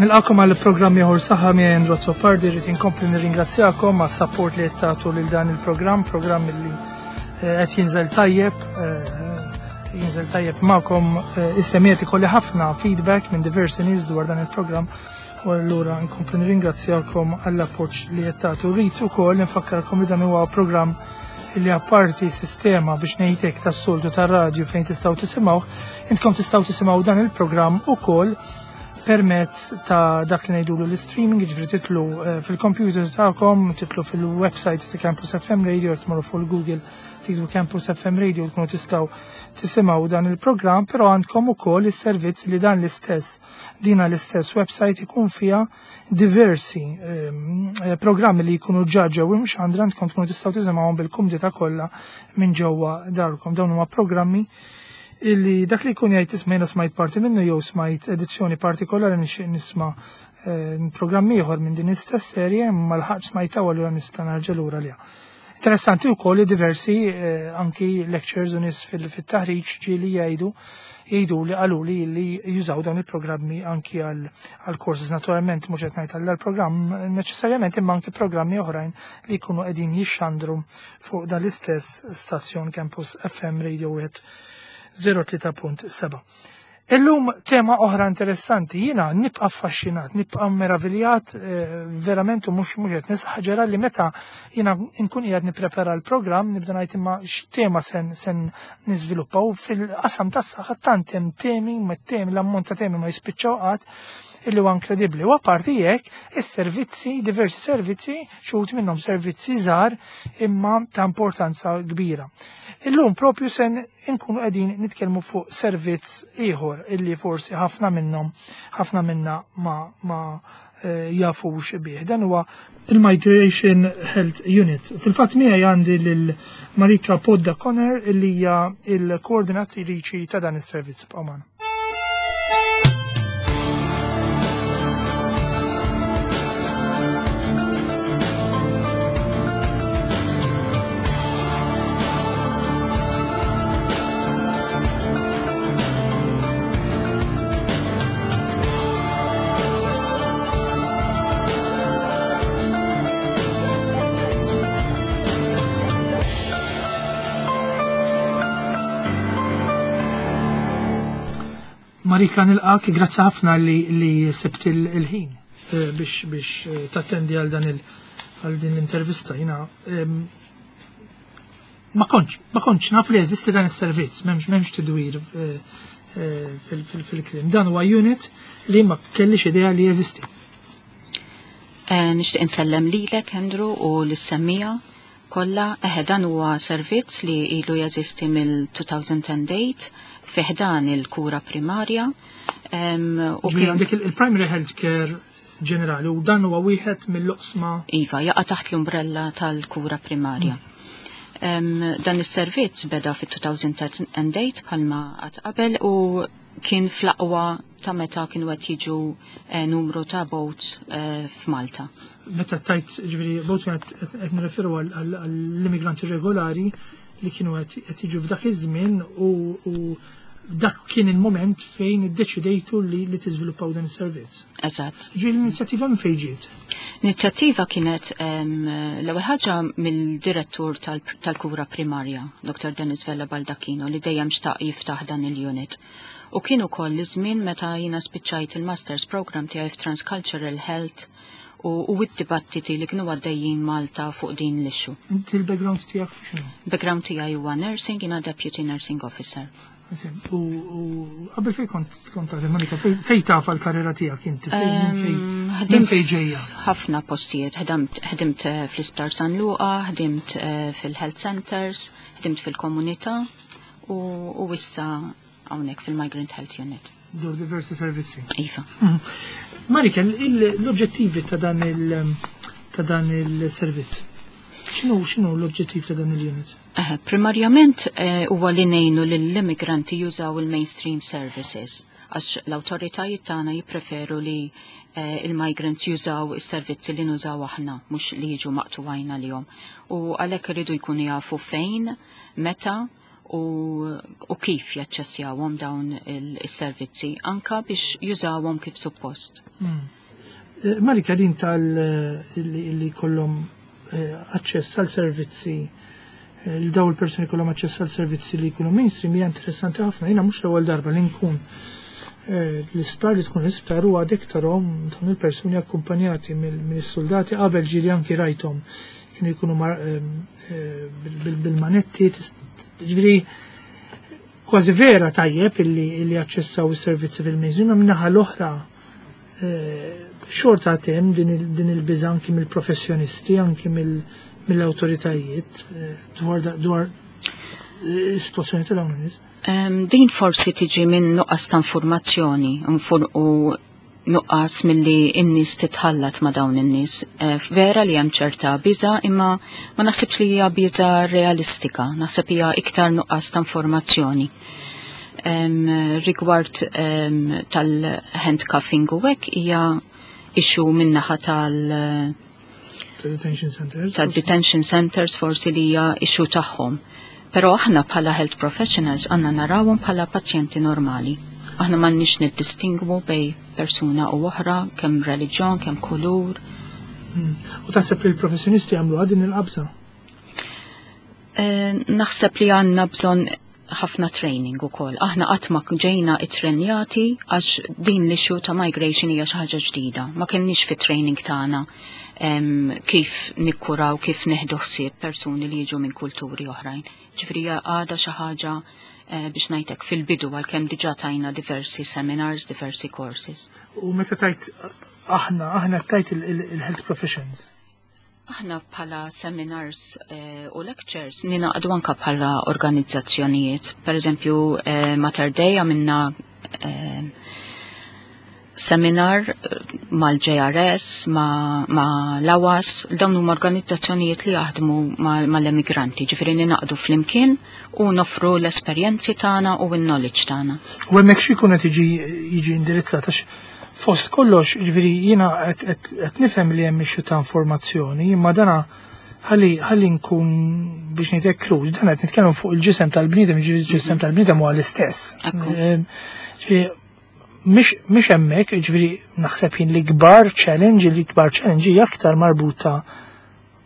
Nilqakom għal programm ieħor saħħa miegħi Andrew Azzopardi, rrid inkompli nirringrazzjakom għas support li qed tagħtu lil dan il-programm, programm li eh, qed jinżel tajjeb, eh, jinżel tajjeb magħkom eh, is-semiet ikolli ħafna feedback minn diversi nies dwar dan il-programm u allura nkompli nirringrazzjakom għall-appoġġ li qed tagħtu. Rrid ukoll nfakkarkom li dan huwa programm li apparti sistema biex ngħidlek tas-soltu tar-radju fejn tistgħu tisimgħu, intkom tistgħu tisimgħu dan il-programm ukoll permezz ta' dak li ngħidulu l-streaming, jiġifieri titlu eh, fil-computer tagħkom, titlu fil-website ta' Campus FM Radio, tmorru fuq Google titlu Campus FM Radio tkunu tistgħu tisimgħu dan il-programm, però għandkom ukoll is-servizz li dan l-istess dina l-istess website ikun fiha diversi ehm, eh, programmi li jkunu ġa ġew imxandra għandkom tkunu tistgħu tisimgħuhom bil-kumdita kollha minn ġewwa darkom. Dawn huma programmi illi dak li jkun jgħid isma' jiena smajt parti minnu jew smajt edizzjoni partikolari nixtieq nisma' eh, programm ieħor minn din l-istess serje imma l-ħadd smajta u allura nista' nerġa' lura liha. Interessanti wkoll li diversi eh, anki lectures u nies fil-taħriġ ġieli jgħidu jgħidu li qalu li li jużaw dawn il-programmi anki għal courses naturalment mhux qed ngħid għal programm neċessarjament imma anki programmi oħrajn li jkunu qegħdin jixxandru fuq dan l-istess stazzjon Campus FM Radio 103.7. Illum tema oħra interessanti, jiena nibqa' affaxxinat, nibqa' meraviljat eh, verament u mhux mhux qed nisħaġera li meta jiena nkun qiegħed nipprepara l-programm nibda ngħid imma x'tema sen sen niżviluppa u fil-qasam tas-saħħa tant hemm temi, ma temi l-ammont ta' temi ma jispiċċaw qatt illi huwa inkredibbli. U apparti jekk is-servizzi, diversi servizzi xi wħud minnhom servizzi żgħar imma ta' importanza kbira. Illum propju sen inkunu qegħdin nitkellmu fuq servizz ieħor illi forsi ħafna minnhom ħafna minna ma, ma eh, jafux bih. Dan huwa il-Migration Health Unit. Fil-fatt miegħi għandi lil Marika Podda Conner illi hija il-koordinatriċi ta' dan is-servizz b'Oman. Marika nilqak, grazzi ħafna li, li sibt il-ħin eh, biex, biex eh, tattendi għal dan il għal din l-intervista. Jina ma kontx, ma kontx naf li jeżisti dan is-servizz, m'hemmx m'hemmx tidwir eh, fil-klim. Dan huwa unit li ma kellix idea li jeżisti. Nixtieq insellem lilek, Andrew, u lis-semmija kollha. Eħe dan huwa servizz li ilu jeżisti mill-2008 fi ħdan il-kura primarja. U kien għandek il-primary health care ġenerali u dan huwa wieħed mill-oqsma. Iva, jaqa' taħt l-umbrella tal-kura primarja. Dan is-servizz beda fit-2008 bħalma qatt qabel u kien fl-aqwa ta' meta kienu qed jiġu eh, numru ta' boats eh, f'Malta. Meta tajt ġifieri boats qed nirreferu għall-immigranti regolari li kienu qed jiġu f'dak iż-żmien u dak kien il-moment fejn iddeċidejtu li, li tiżviluppaw dan is-servizz. Eżatt. Ġifieri l-inizjattiva minn fejn ġiet? L-inizjattiva kienet l-ewwel ħaġa mill-direttur tal-kura primarja, Dr. Dennis Vella Baldacchino, li dejjem xtaq jiftaħ dan il-unit. U kien ukoll iż-żmien meta jiena spiċċajt il-Masters Program tiegħi f'Transcultural Health u, u id-dibattiti li kienu għaddejjin Malta fuq din l-issue. Inti l-background tiegħek x'inhu? Background tiegħi huwa nursing, jiena deputy nursing officer. U qabel fej kont kont taħdem Monika, fej taf għall-karriera tiegħek inti? Ħdimt fej ġejja? Ħafna postijiet, ħdimt eh, fl-Isptar San Luqa, ħdimt eh, fil-health centers, ħdimt fil-komunità u issa hawnhekk fil-Migrant Health Unit. Dur diversi servizzi. Iva. Mhm. Marika, l-oġġettivi ta' dan il- ta' dan il-servizz. X'inhu x'inhu l-oġġettiv ta' dan il-unit? Primarjament eh, huwa li ngħinu lill-immigranti jużaw il-mainstream services għax l-awtoritajiet tagħna jippreferu li eh, il-migrants jużaw is-servizzi li nużaw aħna mhux li jiġu maqtuwajna lihom. U għalhekk iridu jkunu jafu fejn, meta. u kif jaċċessjawhom dawn is-servizzi anka biex jużawhom kif suppost. Marika, din tal li kollhom aċċess għal servizzi, li daw il-persuni kollhom aċċess għal servizzi li jkunu mainstream, hija interessanti ħafna. Jiena mhux l-ewwel darba li nkun l-isptar, li tkun l-isptar u għadek tarahom dawn il-persuni akkumpanjati mill-soldati. Qabel ġieli anki rajthom kienu jkunu bil-manetti, ġifieri kważi vera tajjeb illi aċċessaw is-servizzi fil-mainstream, ma minnaħa l-oħra xorta tem din il-biża anki mill-professjonisti, anki mill-awtoritajiet dwar is-sitwazzjoni ta' dawn in-nies. Din forsi tiġi minn nuqqas ta' informazzjoni u nuqqas milli n-nies titħallat ma' dawn in-nies. Vera li hemm ċerta biża, imma ma naħsibx li hija biża realistika, naħseb hija iktar nuqqas ta' informazzjoni. Rigward tal-handcuffing u hekk, hija issue min-naħa tal- detention centers. Tal-detention centers, forsi li hija issue tagħhom. Però aħna bħala health professionals għandna narawhom bħala pazjenti normali. Aħna m'għandniex niddistingwu bejn persuna u oħra, kemm reliġjon, kemm kulur. U taħseb li l-professjonisti għamlu din il-qabża? Naħseb li għandna bżonn ħafna training ukoll. Aħna qatt ma ġejna ittrenjati għax din l-issue ta' migration hija xi ħaġa ġdida. Ma kenniex fit training tagħna kif nikkuraw, kif neħdu ħsieb persuni li jiġu minn kulturi oħrajn. Ġifieri għadha xi ħaġa biex ngħidlek fil-bidu, għalkemm diġà tajna diversi seminars, diversi courses. U meta tajt aħna, aħna tajt il-health professions? Aħna bħala seminars u lectures ninaqdu anka bħala organizzazzjonijiet. Per eżempju, Mater Dei għamilna seminar mal-JRS, ma l-AWAS, dawn huma organizzazzjonijiet li jaħdmu mal-emigranti, ġifieri ninaqdu flimkien u nofru l-esperjenzi tagħna u n-knowledge tagħna. U hemmhekk xi jkun qed jiġi indirizzat, għax fost kollox, ġifieri jiena qed nifhem li hemm issue ta' informazzjoni, imma dana ħalli nkun biex ngħidlek krud, dan qed nitkellem fuq il-ġisem tal-bniedem, ġifieri il-ġisem tal-bniedem huwa l-istess. Ġifieri mhix hemmhekk, ġifieri naħseb jien li kbar challenge hija aktar marbuta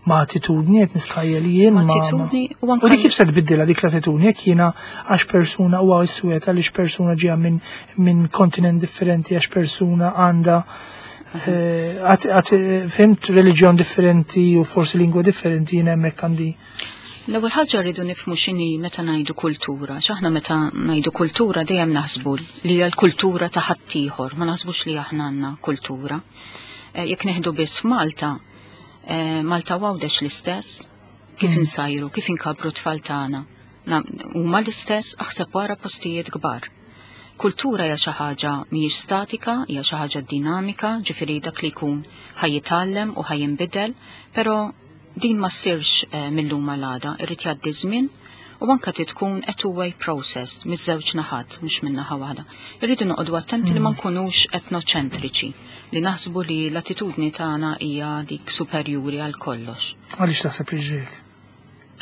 ma' attitudni, qed nistħajjel jien Attitudni u anke U dik kif se tbiddilha dik l-attitudni jekk jiena għax persuna huwa iswed, għaliex persuna ġejja minn kontinent differenti, għax persuna għandha għat fimt reliġjon differenti u forsi lingwa differenti, jien hemmhekk għandi. L-ewwel ħaġa rridu nifhmu x'inhi meta ngħidu kultura. X'aħna meta ngħidu kultura dejjem naħsbu li hija l-kultura ta' ħaddieħor, ma naħsbux li aħna għandna kultura. Jekk neħdu biss Malta, Malta Għawdex l-istess, kif insajru, kif inkabru tfal tagħna. Huma l-istess, aħseb wara postijiet kbar. Kultura hija xi ħaġa mhijiex statika, hija xi ħaġa dinamika, ġifieri dak li jkun ħa jitgħallem u ħa jinbidel, però din ma ssirx mill-lum għal irid jgħaddi żmien u anka tkun a two-way process miż-żewġ naħat, mhux minn naħa waħda. Irridu noqogħdu attenti li ma nkunux etnoċentriċi, li naħsbu li l-attitudni tagħna hija dik superjuri għal kollox. Għaliex taħseb li ġejk?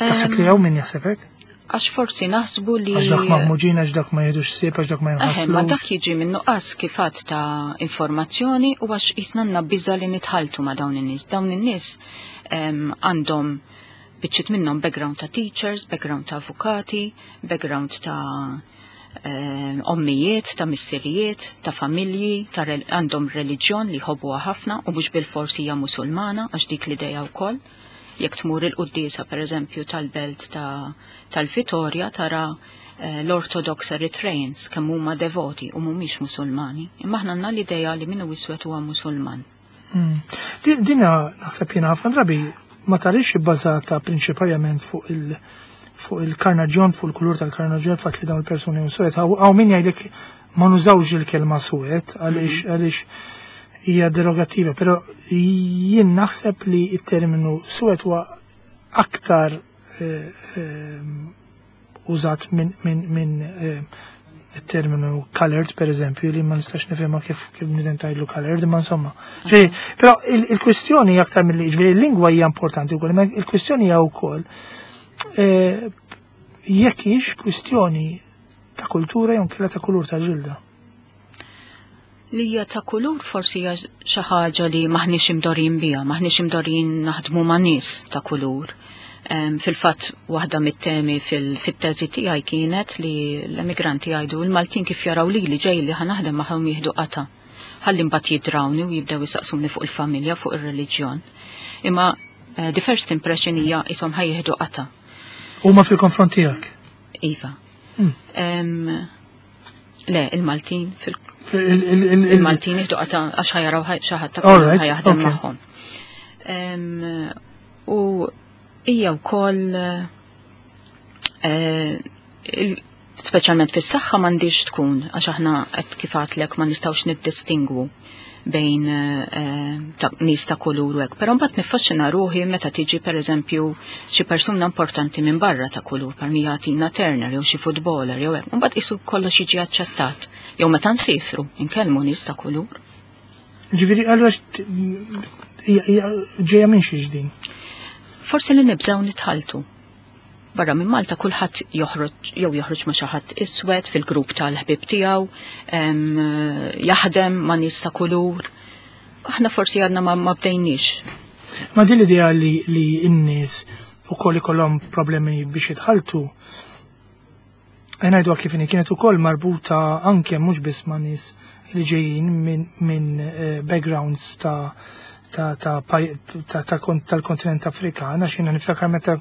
Taħseb li hawn min jaħseb hekk? Għax forsi naħsbu li Għax dak maħmuġin, għax dak ma jieħdux ħsieb, għax dak ma Eħe, ma jinħaslux. dak jiġi minn nuqqas kifat ta' informazzjoni u għax jisna għandna biża li nitħaltu ma' dawn in-nies. Dawn in-nies għandhom biċċiet minnhom background ta' teachers, background ta' avukati, background ta' ommijiet, ta' missirijiet, ta' familji, ta' għandhom reliġjon li jħobbuha ħafna u mhux bil-forsi hija Musulmana, għax dik l-idea wkoll. Jekk tmur il-quddiesa pereżempju tal-belt ta' tal-Vitorja tara l-Orthodox Eritreans kemm huma devoti u mhumiex Musulmani. Imma aħna għandna l-idea li min hu iswed huwa Musulman. Dina naħseb jiena ħafna drabi ma tarix ibbażata prinċipalment fuq il-karnaġjon, fuq il-kulur tal-karnaġjon, fatt li dawn il-persuni huma suwed. Hawn min jgħidlek ma nużawx il-kelma suwed għaliex hija derogativa, però jien naħseb li il-terminu suwed huwa aktar użat minn il-terminu colored, per eżempju, li ma nistax nifhimha kif bniedem tgħidlu colored, imma insomma. Ġifieri, però il-kwistjoni hija aktar mill-li, ġifieri il-lingwa hija importanti wkoll, imma il-kwistjoni hija wkoll. Jekk hix kwistjoni ta' kultura jew kella ta' kulur ta' ġilda. Li hija ta' kulur forsi hija xi ħaġa li maħniex imdorin biha, maħniex imdorin naħdmu ma' nies ta' kulur. Fil-fatt waħda mit-temi fil-teżi tiegħi kienet li l-emigranti jgħidu l-Maltin kif jaraw li li ġej li ħanaħdem magħhom jieħdu qata. Ħalli mbagħad jidrawni u jibdew jisaqsuni fuq il-familja, fuq ir-reliġjon. Imma the first impression hija ishom ħajjieħdu qata. Huma fil-konfront tiegħek? Iva. Le, il-Maltin fil Il-Maltin jieħdu qata għax ħajaraw xi ħadd ta' ħajaħdem magħhom. U hija wkoll speċjalment fis-saħħa m'għandix tkun għax aħna qed kif għadlek ma nistgħux niddistingwu bejn nies ta' kulur u hekk. Però mbagħad niffaxxina ruħi meta tiġi pereżempju xi persuna importanti minn barra ta' kulur bħal mija Tina Turner jew xi footballer jew hekk. Mbagħad qisu kollox jiġi aċċettat. Jew meta nsifru, inkellmu nies ta' kulur. Ġifieri allura ġejja minn xiex din? Forsi li nibżgħu nitħaltu. Barra minn Malta kulħadd joħroġ jew joħroġ ma' xi ħadd iswed fil-grupp tal-ħbieb tiegħu, jaħdem ma' nies ta' kulur. Aħna forsi għadna ma bdejniex. Ma din l-idea li n-nies ukoll ikollhom problemi biex jitħaltu, ngħidu kif inhi kienet ukoll marbuta anke mhux biss ma' nies li ġejjin minn backgrounds tal-kontinent Afrikan, għax jiena niftakar meta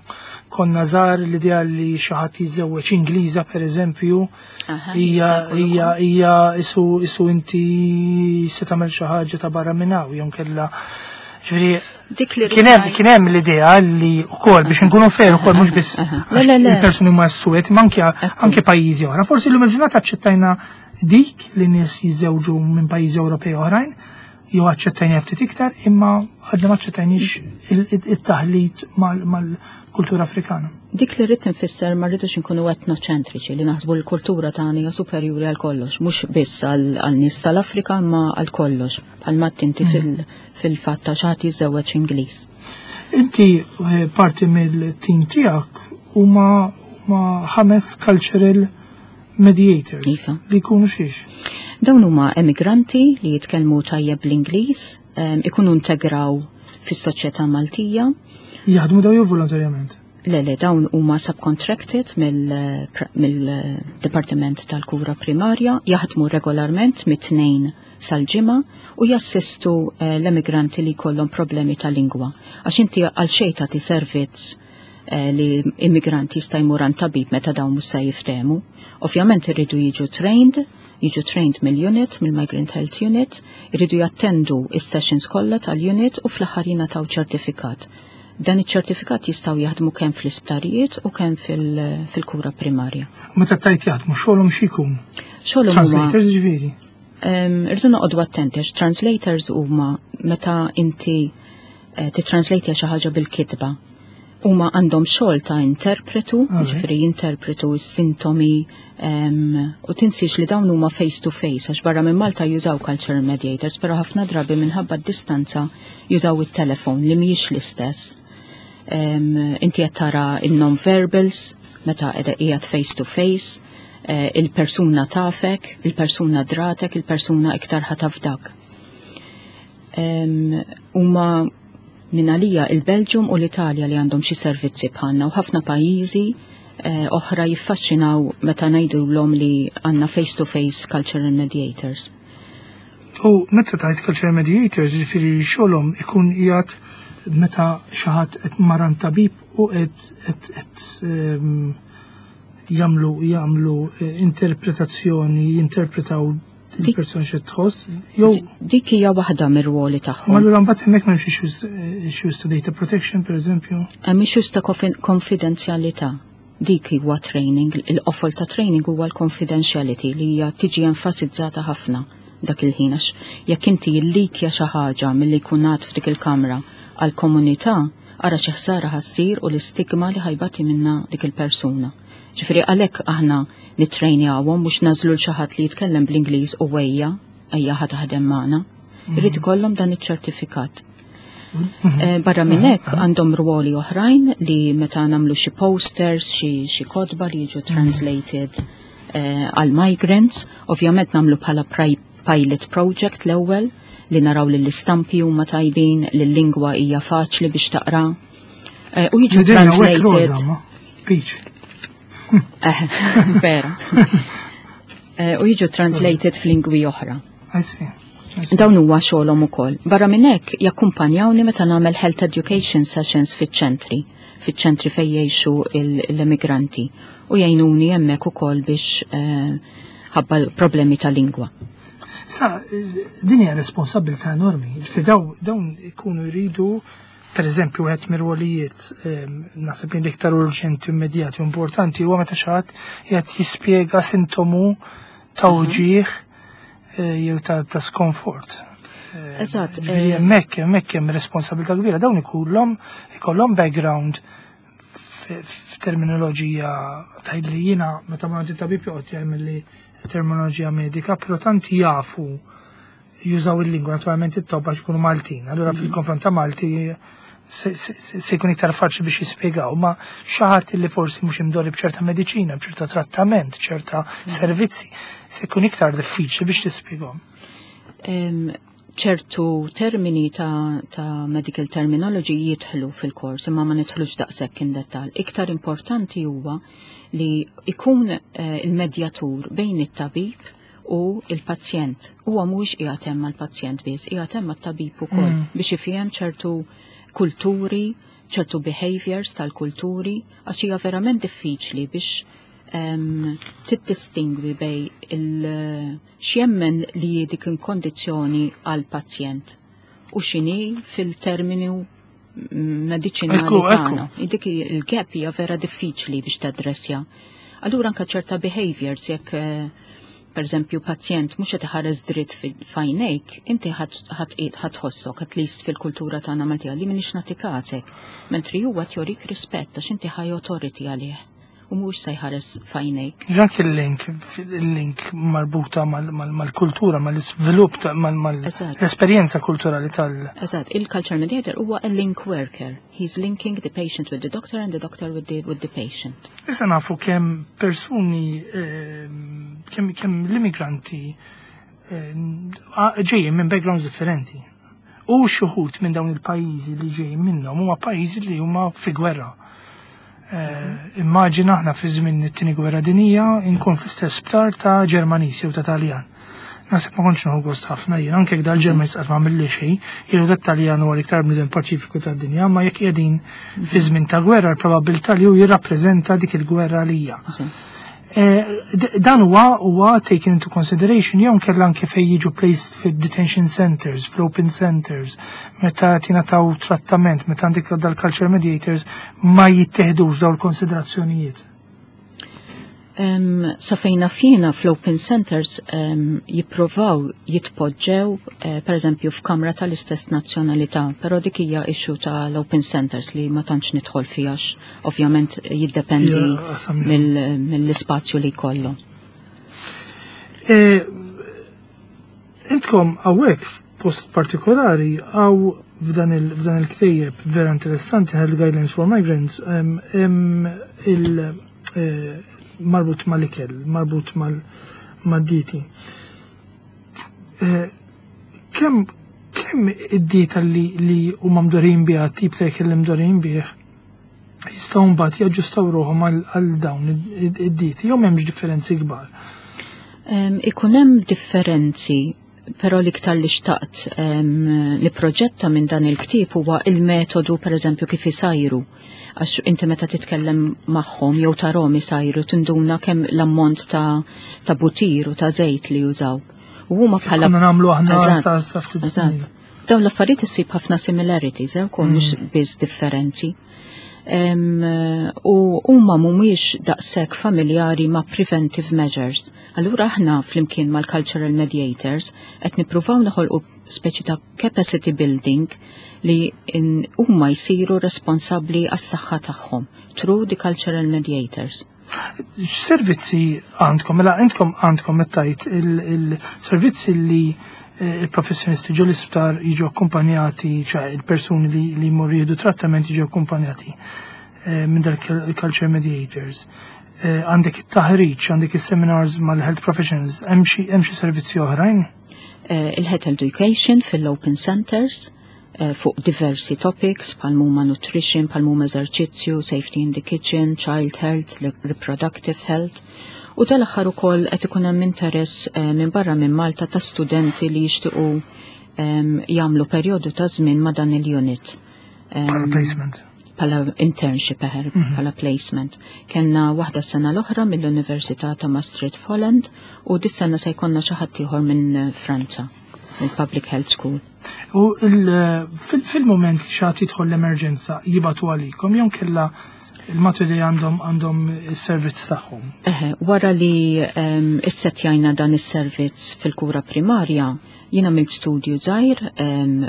konna żgħar l-idea li xi ħadd jiżżewweġ Ingliża pereżempju, hija isu inti se tagħmel xi ħaġa ta' barra minn hawn jew kellha. Ġifieri Dik li kien hemm l-idea li wkoll biex inkunu fair ukoll mhux biss il-persuni huma suwed, imma anke pajjiżi oħra. Forsi llum il-ġurnata aċċettajna dik li nies jiżżewġu minn pajjiżi Ewropej oħrajn, jew aċċettajna ftit iktar, imma għadna ma aċċettajniex it-taħlit mal-kultura Afrikana. Dik li rrid nfisser ma rridux inkunu etnoċentriċi li naħsbu l-kultura tagħna hija superjuri għal kollox, mhux biss għal nies tal-Afrika imma għal kollox, bħalma tinti fil-fatt ta' xi ħadd jiżżewweġ Ingliż. Inti parti mill-tim tiegħek huma 5 cultural mediators. Iva. Li jkunu xiex? Dawn huma emigranti li jitkellmu tajjeb bl-Ingliż, ikunu integraw fis-soċjetà Maltija. Jaħdmu daw jew volontarjament? Le, le, dawn huma subcontracted mill-Dipartiment tal-Kura Primarja, jaħdmu regolarment mit-tnejn sal-ġimgħa u jassistu l-emigranti li jkollhom problemi ta' lingwa. Għax inti għal xejn tagħti servizz li immigranti jista' jmur għand tabib meta dawn mhux se jiftehmu. Ovvjament irridu jiġu trained, jiġu trained mill-unit, mill-Migrant Health Unit, irridu jattendu is-sessions kollha tal-unit u fl-aħħar jingħataw ċertifikat. Dan iċ-ċertifikat jistgħu jaħdmu kemm fl-isptarijiet u kemm fil-kura primarja. Meta tajt jaħdmu xogħolhom x'ikun? Xogħolhom huma Translators ġifieri? Irridu noqogħdu attenti għax translators huma meta inti titranslate xi ħaġa bil-kitba. Huma għandhom xogħol ta' interpretu, ġifieri jinterpretu s-sintomi, u tinsiex li dawn huma face to face, għax barra minn Malta jużaw cultural mediators, però ħafna drabi minħabba d-distanza jużaw it-telefon li mhijiex l-istess. Inti qed tara il-non-verbals meta qiegħda qiegħed face to face, il-persuna tafek, il-persuna dratek, il-persuna iktar ħatafdak. Huma minn għalija il-Belġium u l-Italja li għandhom xi servizzi bħalna u ħafna pajjiżi oħra jiffaxxinaw meta ngħidulhom li għandna face-to-face cultural mediators. U meta tgħid cultural mediators, jiġifieri xogħolhom ikun qiegħed meta xi ħadd qed maran tabib u qed jagħmlu interpretazzjoni, jinterpretaw il-persuna xi tħoss, jew Dik hija waħda mir-ruoli tagħhom. Ma allura mbagħad hemmhekk m'hemmx issues ta' data protection, pereżempju? Hemm issues ta' konfidenzjalità. Dik huwa training, il-qofol ta' training huwa l-confidentiality li hija tiġi enfasizzata ħafna dak il-ħin, għax jekk inti jillikja xi ħaġa milli jkun għad f'dik il-kamra għall-komunità, ara xi ħsara ħassir u l-istigma li ħajbati minna dik il-persuna. Ġifieri għalhekk aħna nittrejnjawhom mhux nażlu l xi ħadd li jitkellem bl-Ingliż u ejja, ejja ħa taħdem magħna. Irid ikollhom dan iċ-ċertifikat. Barra minn hekk għandhom ruoli oħrajn li meta nagħmlu xi posters, xi kotba li jiġu translated għal migrants, ovvjament nagħmlu bħala pilot project l-ewwel li naraw li l-istampi huma tajbin, li l-lingwa hija faċli biex taqra. U jiġu translated. Peach. Vera. U jiġu translated f'lingwi oħra. I see. Dawn huwa xogħolhom ukoll. Barra minn hekk jakkumpanjawni meta nagħmel health education sessions fiċ-ċentri fejn jgħixu l-immigranti u jgħinuni hemmhekk ukoll biex ħabba l-problemi ta' lingwa. Sa, din hija responsabilità enormi. Ġifieri dawn ikunu jridu, per eżempju, wieħed mir-rwolijiet naħseb li l-iktar urġenti, immedjati u importanti huwa meta xi ħadd qiegħed jispjega sintomu ta' uġigħ jew ta' skomfort. Ġifieri hemmhekk hemm responsabilità kbira. Dawn ikollhom background f'terminoloġija tgħid li jiena meta ma tabib joqgħod jagħmel li terminoloġija medika, però tant jafu jużaw il-lingwa, naturalment it-tobba jkunu Maltin. Allura fil-konfront ta' Malti se jkun iktar faċli biex jispjegaw, ma xi ħadd li forsi mhux imdorri b'ċerta mediċina, b'ċerta trattament, ċerta servizzi, se jkun iktar diffiċli biex tispjegahom. Ċertu termini ta' medical terminology jidħlu fil-kors, imma ma nidħlux daqshekk in dettal. Iktar importanti huwa li ikun il-medjatur bejn it-tabib u il-pazjent. Huwa mhuwiex qiegħed hemm mal-pazjent biss, qiegħed hemm mat-tabib ukoll biex ifhem ċertu kulturi, ċertu behaviors tal-kulturi, għax hija verament diffiċli biex tiddistingwi bejn il x'jemmen li dik il-kondizzjoni għal-pazjent u x'inhi fil-terminu mediċinali tagħna. Dik il-gap hija vera diffiċli biex tadressja. Allura anka ċerta behaviors jekk per eżempju pazjent mhux qed iħares dritt f'għajnejk, inti ħa tħossok, at least fil-kultura tagħna Maltija, li m'iniex nagħti kasek, mentri huwa jorik rispett għax inti high authority għalih u mhux se jħares f'għajnejk. Dak il-link marbuta mal-kultura, mal-iżvilupp, mal-esperjenza kulturali tal- Eżatt, il-culture mediator huwa a link worker. He's linking the patient with the doctor and the doctor with the patient. Issa nafu kemm persuni, kemm l-immigranti ġejjin minn backgrounds differenti. U xi wħud minn dawn il-pajjiżi li ġejjin minnhom huma pajjiżi li huma fi gwerra. Immaġina aħna fi żmien it-tieni gwerra dinija nkun fl-istess sptar ta' Ġermaniż jew ta' Taljan. Naħseb ma kontx nieħu gost ħafna jien, anke jekk dal-Ġermaniż qatt ma għamilli xejn, jew dat-Taljan huwa l-iktar bniedem paċifiku tad-dinja, ma jekk qegħdin fi żmien ta' gwerra l-probabilità li hu jirrappreżenta dik il-gwerra għalija. Dan huwa taken into consideration jew nkella anke fejn jiġu placed fid-detention centers, fl-open centers, meta tingħataw trattament, meta għandek dal-culture mediators ma jittieħdux dawn il-konsiderazzjonijiet. Sa fejna fina fl-open centers jipprovaw jitpoġġew per eżempju f'kamra tal-istess nazzjonalità, però dik hija issue tal-open centers li ma tantx nidħol fiha għax ovvjament jiddependi Ja, qasam. mill-ispazju li jkollu. Intkom hawnhekk f'post partikolari għaw f'dan il-ktejjeb vera interessanti Health Guidelines for Migrants, il marbut mal-ikel, marbut mad-dieti. Kemm id-dieta li huma mdorin biha, tip ta' ikel li mdorin bih, jistgħu mbagħad jaġġustaw ruħhom għal dawn id-dieti, jew m'hemmx differenzi kbar? Ikun hemm differenzi, però l-iktar li xtaqt li proġetta minn dan il-ktieb huwa il-metodu, per eżempju, kif isajru. Għax inti meta titkellem magħhom jew tarahom isajru tinduna kemm l-ammont ta' butir u ta' żejt li jużaw. U huma bħala Konna nagħmlu aħna sa ftit snin. Dawn l-affarijiet issib ħafna similarities, wkoll mhux biss differenzi. U huma mhumiex daqshekk familjari ma' preventive measures. Allura aħna flimkien mal-cultural mediators qed nippruvaw noħolqu speċi ta' capacity building li huma jsiru responsabbli għas-saħħa tagħhom through the cultural mediators. X'servizzi għandkom? Mela intkom għandkom qed tgħid il-servizzi li il-professjonisti ġo l-isptar jiġu akkumpanjati, ċa il-persuni li jmorru jieħdu trattament jiġu akkumpanjati minn dal culture mediators. Għandek it-taħriġ, għandek is-seminars mal-health professionals, hemm xi servizzi oħrajn? Il-health education fil-open centers fuq diversi topics bħal huma nutrition, bħal huma eżerċizzju, safety in the kitchen, child health, reproductive health. U tal-aħħar ukoll qed ikun hemm interess minn barra minn Malta ta' studenti li jixtiequ jagħmlu perjodu ta' żmien ma' dan il-unit. Bħala placement. Bħala internship eħer, bħala placement. Kenna waħda sena l-oħra mill-Università ta' Maastricht Holland u dis-sena se jkollna xi ħadd ieħor minn Franza, mill-Public Health School. U fil-moment li xi ħadd jidħol l-emerġenza jibagħtu għalikom jew kella il-Mater Dei għandhom is-servizz tagħhom? Eħe, wara li issetjajna dan is-servizz fil-kura primarja, jien għamilt studju żgħir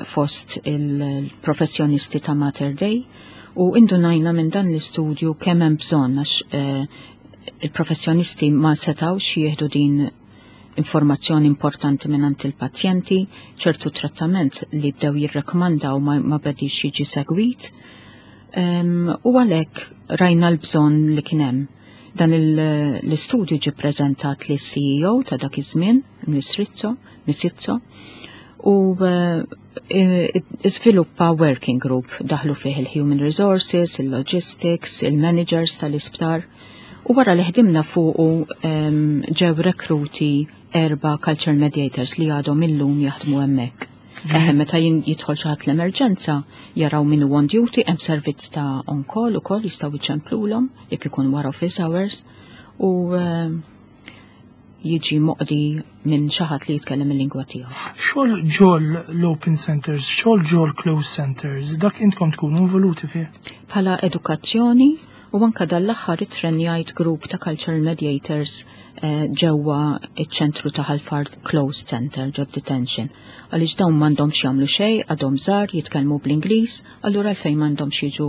fost il-professjonisti ta' Mater Dei u indunajna minn dan l-istudju kemm hemm bżonn għax il-professjonisti ma setgħux jieħdu din informazzjoni importanti minn il-pazjenti, ċertu trattament li bdew jirrekomandaw ma bedix jiġi segwit. U għalhekk rajna l-bżonn li kien hemm. Dan l-istudju ġi prezentat li CEO ta' dak iż-żmien, Miss Rizzo, Miss Izzo, u iżviluppa working group daħlu fih il-human resources, il-logistics, il-managers tal-isptar. U wara li ħdimna fuqu ġew rekruti erba' cultural mediators li għadhom illum jaħdmu hemmhekk. Eħe, meta jidħol xi ħadd l-emerġenza, jaraw min hu on duty, hemm servizz ta' on call ukoll jistgħu jċemplulhom jekk ikun wara office hours u jiġi moqdi minn xi ħadd li jitkellem il-lingwa tiegħu. Xogħol ġol l-open centers, xogħol ġol closed centers, dak intkom tkunu involuti fih? Bħala edukazzjoni u anka dal-aħħar ittrenjajt grupp ta' cultural mediators ġewwa iċ-ċentru ta' Ħal Far Closed Center ġod detention. Għaliex dawn m'għandhomx jagħmlu xejn, għadhom żgħar jitkellmu bl-Ingliż, allura għalfejn m'għandhomx jiġu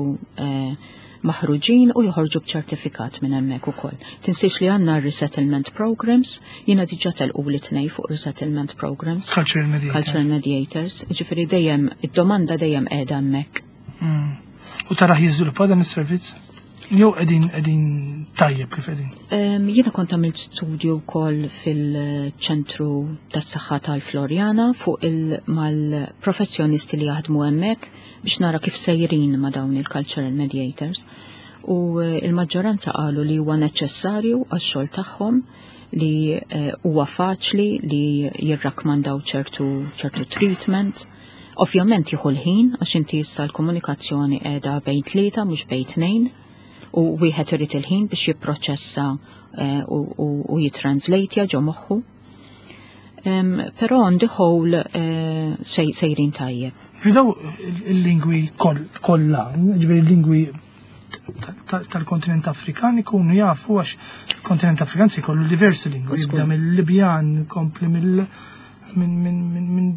maħruġin u joħorġu b'ċertifikat minn hemmhekk ukoll. Tinsiex li għandna resettlement programs, jiena diġà telqu li tnej fuq resettlement programs. Cultural mediators. Cultural mediators, ġifieri dejjem id-domanda dejjem qiegħda hemmhekk. U taraħ jiżviluppa dan is-servizz? Jew qegħdin tajjeb kif qegħdin? Jiena kont għamilt studju wkoll fil-ċentru tas-saħħa tal-Floriana fuq mal-professjonisti li jaħdmu hemmhekk biex nara kif sejrin ma' dawn il-cultural mediators. U il-maġġoranza qalu li huwa neċessarju għax-xogħol tagħhom, li huwa faċli li jirrakmandaw ċertu treatment. Ovvjament jieħu l-ħin għax inti issa l-komunikazzjoni qiegħda bejn tlieta mhux bejn tnejn u wieħed irid il-ħin biex jipproċessa u jitranslate ġo moħħu. Però on the whole sejrin tajjeb. Ġidaw il-lingwi kollha, ġifieri il-lingwi tal-kontinent Afrikan ikunu jafu għax il-kontinent Afrikan se jkollu diversi lingwi, jibda mill-Libjan, kompli minn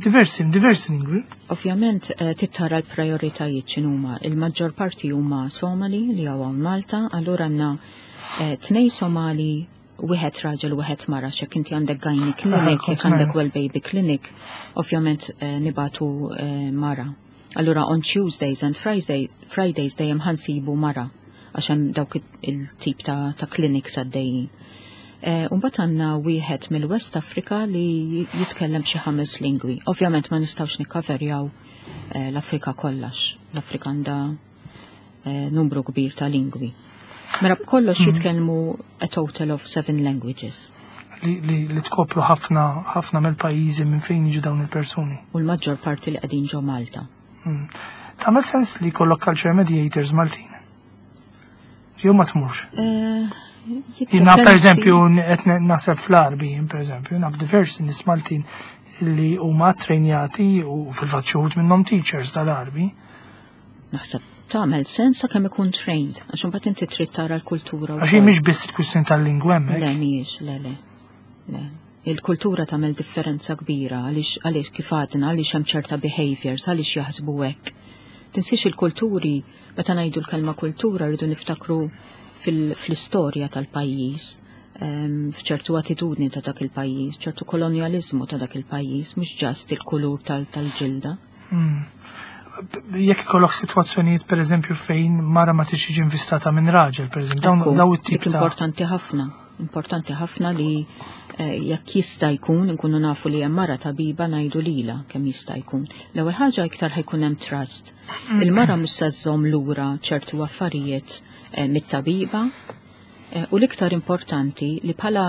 diversi lingwi. Ovvjament tittara l-prioritajiet x'inhuma. Il-maġġor parti huma Somali li hawn Malta, allura għandna tnej Somali, wieħed raġel u wieħed mara, x'hekk inti għandek gynae clinic, jekk għandek well baby clinic, ovvjament nibatu mara. Allura on Tuesdays and Fridays dejjem ħansibu mara għax hemm dawk il-tip ta' clinics għaddejjin. Mbagħad għandna wieħed mill-West Africa li jitkellem xi 5 lingwi. Ovvjament ma nistgħux nikkaverjaw l-Afrika kollax. L-Afrika għandha numru kbir ta' lingwi. Mela b'kollox jitkellmu a total of 7 languages. Li tkopru ħafna mill-pajjiżi minn fejn jiġu dawn il-persuni. U l-maġġor parti li qegħdin ġo Malta. Tagħmel sens li jkollok culture mediators Maltin? Jew ma tmurx? Jiena per eżempju qed naħseb fl-Għarbi, per eżempju, naf diversi nies Maltin li huma trejnjati u fil-fatt xi wħud minnhom teachers tal-Għarbi. Naħseb tagħmel sens sakemm ikun trained, għax imbagħad inti trid tara l-kultura Għax hi wkoll. mhix biss il-kwistjoni tal-lingwa hemmhekk. Le, mhijiex, le, le. Le. Il-kultura tagħmel differenza kbira għaliex kif għadna, għaliex hemm ċerta behaviors, għaliex jaħsbu hekk. Tinsiex il-kulturi, meta ngħidu l-kelma kultura rridu niftakru fl-istorja tal-pajjiż. F'ċertu attitudni ta' dak il-pajjiż, ċertu kolonjaliżmu ta' dak il-pajjiż, mhux just il-kulur tal-ġilda. Jekk ikollok sitwazzjonijiet, pereżempju, fejn mara ma tiġi invistata minn raġel, pereżempju, dawn daw it-tip ta' Importanti ħafna, importanti ħafna li jekk jista' jkun inkunu nafu li hemm mara tabiba, ngħidu lila kemm jista' jkun. L-ewwel ħaġa, iktar ħa jkun hemm trust. Il-mara mhux se żżomm lura ċertu affarijiet mit-tabiba. U l-iktar importanti li bħala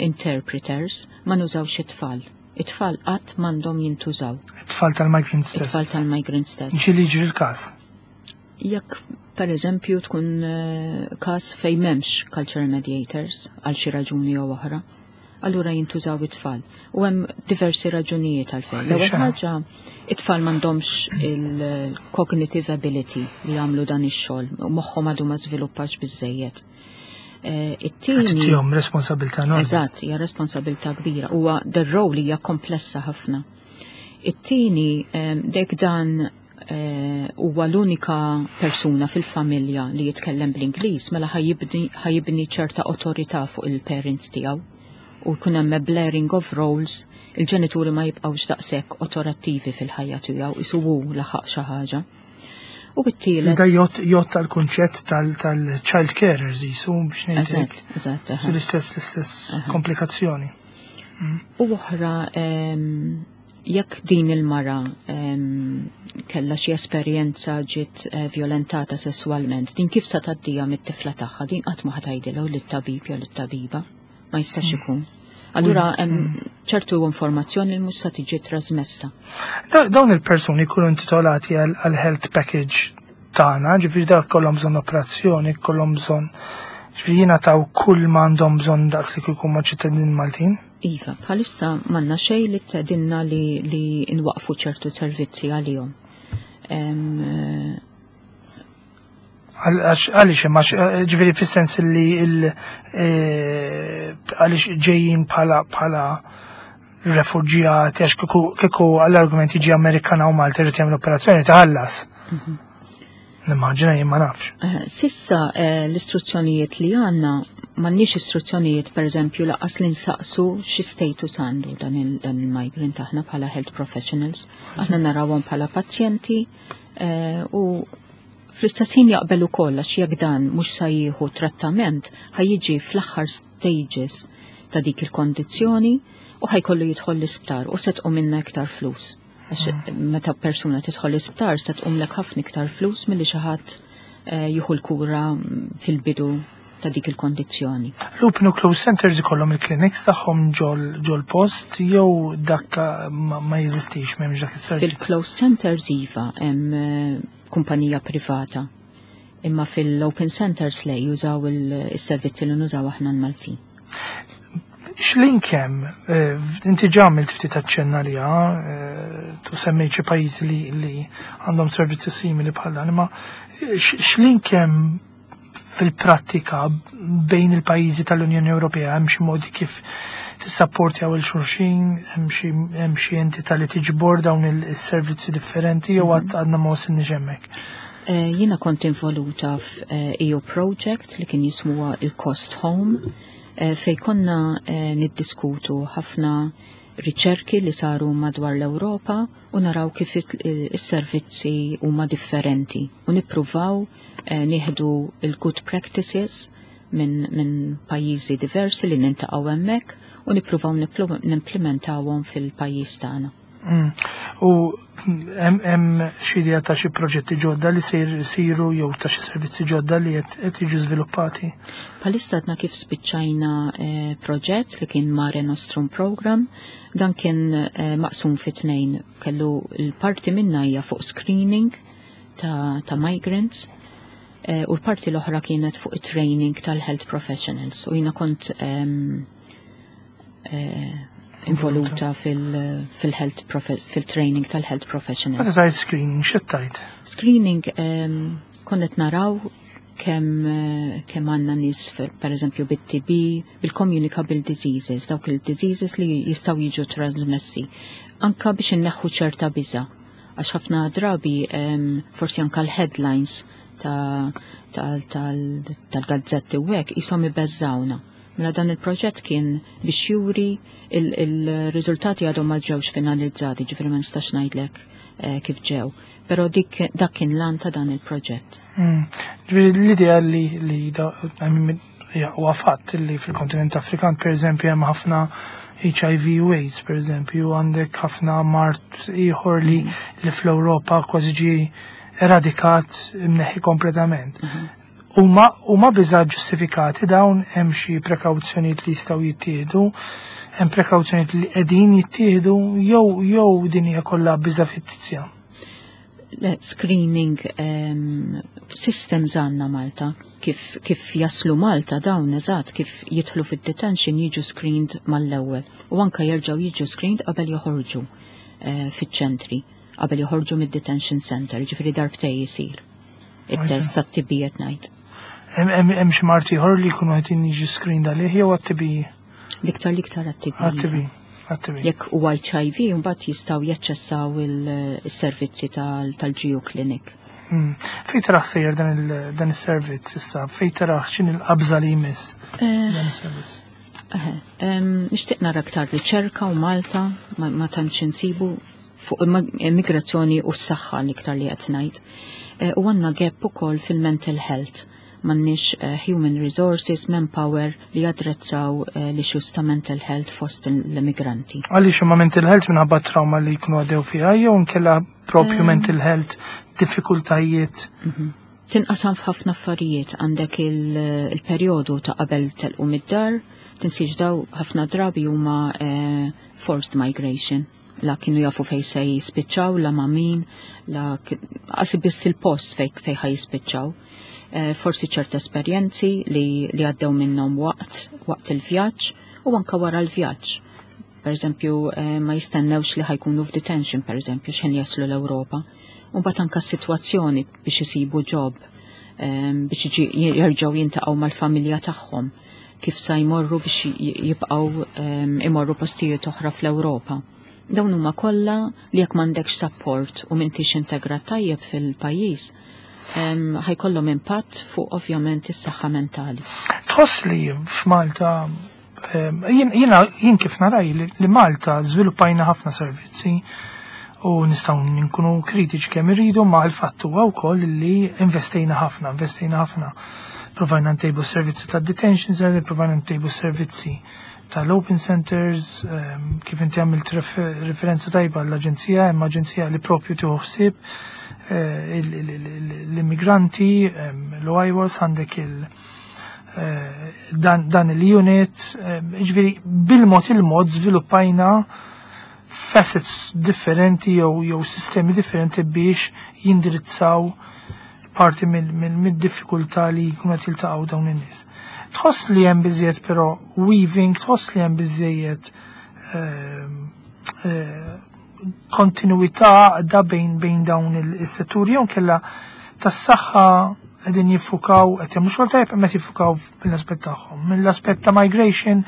interpreters ma nużawx it-tfal. It-tfal qatt m'għandhom jintużaw. It-tfal tal-migrant stess. It-tfal tal-migrant stess. Ġieli jiġri l-każ? Jekk per eżempju tkun każ fejn m'hemmx cultural mediators għal xi raġuni jew oħra, allura jintużaw it-tfal. U hemm diversi raġunijiet għalfejn. L-ewwel ħaġa, it-tfal m'għandhomx il-cognitive ability li jagħmlu dan ix-xogħol, u moħħhom għadu ma żviluppax biżejjed. It-tieni Tihom responsabilità enormi. Eżatt, hija responsabilità kbira. Huwa the role hija komplessa ħafna. It-tieni, dek dan huwa l-unika persuna fil-familja li jitkellem bl-Ingliż, mela ħa jibni ċerta awtorità fuq il-parents tiegħu u jkun hemm blurring of roles, il-ġenituri ma jibqgħux daqshekk awtorattivi fil-ħajja tiegħu, isuwu laħaq xi ħaġa. U bit-tielet. Da jgħodd tal-kunċett tal-child carers jisu biex ngħidlek. Eżatt. L-istess komplikazzjoni. U oħra, jekk din il-mara kella xi esperjenza, ġiet violentata sessualment, din kif sa tgħaddija mit-tifla tagħha? Din qatt ma ħa tgħidilha lit-tabib jew lit-tabiba. Ma jistax ikun. Allura hemm ċertu informazzjoni li mhux sa tiġi trasmessa. Dawn il-persuni jkunu intitolati għal health package tagħna, ġifieri dak kollhom bżonn operazzjoni, kollhom bżonn, ġifieri jingħataw kull ma għandhom bżonn daqs li kieku ma' ċittadin Maltin. Iva, bħalissa m'għandna xejn li tgħidilna li nwaqfu ċertu servizzi għalihom. Għaliex imma, ġifieri fis-sens li għaliex ġejjin bħala refuġjati, għax kieku għall-argument jiġi Amerikana u Malta jrid jagħmel operazzjoni, taħallas. Nimmaġina jien, ma nafx. S'issa l-istruzzjonijiet li għandna, m'għandniex istruzzjonijiet, per eżempju, lanqas li nsaqsu xi status għandu dan il-migrant aħna bħala health professionals. Aħna narawhom bħala pazjenti u fl-istess ħin jaqbel ukoll, għax jekk dan mhux sa jieħu trattament, ħa jiġi fl-aħħar stages ta' dik il-kondizzjoni u ħa jkollu jidħol l-isptar u se tqum minna iktar flus. Għax meta persuna tidħol l-isptar se tqumlek ħafna iktar flus milli xi ħadd jieħu l-kura fil-bidu ta' dik il-kondizzjoni. L-open u close centers ikollhom il-clinics tagħhom ġol post jew dak ma jeżistix, m'hemmx dak is-servizz? Fil-closed centers iva, hemm kumpanija privata. Imma fil-open centers le, jużaw il-servizzi li nużaw aħna l-Maltin. X'link hemm, inti ġa għamilt ftit aċċenna li tu semmejt xi pajjiżi li għandhom servizzi simili bħal dan, imma x'link hemm fil-prattika bejn il-pajjiżi tal-Unjoni Ewropea? Hemm xi modi kif tissapportjaw lil xulxin, hemm xi entità li tiġbor dawn il-servizzi differenti jew għadna ma wasilniex hemmhekk? Jiena kont involuta f'EU project li kien jismuha il-Cost Home, fej konna niddiskutu ħafna riċerki li saru madwar l-Ewropa u naraw kif is-servizzi huma differenti u nippruvaw nieħdu il-good practices minn pajjiżi diversi li niltaqgħu hemmhekk u nippruvaw nimplementawhom fil-pajjiż tagħna. U hemm xi idea ta' xi proġetti ġodda li se jsiru jew ta' xi servizzi ġodda li qed jiġu żviluppati? Bħalissa għadna kif spiċċajna proġett li kien Mare Nostrum Program, dan kien maqsum fi tnejn, kellu l-parti minna hija fuq screening ta' migrants u l-parti l-oħra kienet fuq training tal-health professionals u jiena kont involuta fil-training tal-health professionals. Meta tgħid screening, x'tgħid? Screening, konnet naraw kemm għandna nies per eżempju bit-TB, bil-communicable diseases, dawk il-diseases li jistgħu jiġu trasmessi. Anka biex inneħħu ċerta biża', għax ħafna drabi forsi anka l-headlines tal-gazzetti u hekk jisom ibeżżawna. Mela dan il-proġett kien biex juri il-riżultati għadhom ma ġewx finalizzati, ġifieri ma nistax ngħidlek kif ġew. Però dik dak kien l-għan ta' dan il-proġett. Ġifieri l-idea li huwa fatt li fil-kontinent Afrikan, per eżempju, hemm ħafna HIV u AIDS, per eżempju, għandek ħafna mard ieħor li fl-Ewropa kważi ġie eradikat, imneħħi kompletament. Huma biża ġustifikati dawn? Hemm xi prekawzjonijiet li jistgħu jittieħdu, hemm prekawzjonijiet li qegħdin jittieħdu jew din hija kollha biża fittizja? Le, screening systems għandna Malta, kif jaslu Malta dawn, eżatt kif jidħlu fid-detention jiġu screened mal-ewwel u anka jerġgħu jiġu screened qabel joħorġu fiċ-ċentri, qabel joħorġu mid-detention center, ġifieri darbtej jisir. It-test tat-TB qed ngħid. Hemm xi mard ieħor li jkunu qed jiġu screened għalih jew għat-TB? L-iktar għat-TB. Għat-TB. Għat-TB. Jekk huwa HIV, mbagħad jistgħu jaċċessaw il-servizzi tal-GU Clinic. Fejn taraħ sejjer dan is-servizz issa? Fejn taraħ x'in il-qabża li jmiss dan is-servizz? Nixtieq nara aktar riċerka u Malta ma tantx insibu fuq immigrazzjoni u s-saħħa l-iktar li qed ngħid. U għandna gap ukoll fil-mental health. M'għandniex human resources, manpower li jadrezzaw l-issues ta' mental health fost l-immigranti. Għaliex huma mental health minħabba trauma li jkunu għaddew fiha jew nkella propju mental health diffikultajiet? Tinqasam f'ħafna affarijiet, għandek il-perjodu ta' qabel telqu mid-dar, tinsiex daw ħafna drabi huma forced migration. La kienu jafu fej se jispiċċaw, la ma' min, la qasi biss il-post fej ħaj jispiċċaw. Forsi ċerta esperjenzi li għaddew minnhom waqt il-vjaġġ u anka wara l-vjaġġ. Per eżempju, ma jistennewx li ħajkunu f'detention, per eżempju, x'ħin jaslu l-Ewropa. U mbagħad anka s-sitwazzjoni biex isibu job, biex jerġgħu jintaqgħu mal-familja tagħhom, kif sa jmorru biex jibqgħu imorru postijiet oħra fl-Ewropa. Dawn huma kollha li jekk m'għandekx support u m'intix integrat tajjeb fil-pajjiż, ħajkollhom impatt fuq ovvjament is-saħħa mentali. Tħoss li f'Malta, jien kif naraj li Malta żviluppajna ħafna servizzi u nistgħu nkunu kritiċi kemm irridu, ma l-fatt huwa wkoll li investejna ħafna, investejna ħafna. Provajna ntejbu servizzi ta' detention center, provajna ntejbu servizzi tal-open centers, kif inti għamilt referenza tajba l-aġenzija, hemm aġenzija li propju tieħu ħsieb l-immigranti, l-OIWAS, għandek dan il-unit, ġifieri bil-mod il-mod żviluppajna facets differenti jew sistemi differenti biex jindirizzaw parti mid-diffikultà li jkunu qed jiltaqgħu dawn in-nies. Tħoss li hemm biżejjed però weaving, tħoss li hemm biżejjed kontinuità da bejn dawn is-setturi jew kella tas-saħħa qegħdin jiffukaw, qed jagħmlu xogħol tajjeb imma qed jiffukaw mill-aspett tagħhom. Mill-aspett ta' migration,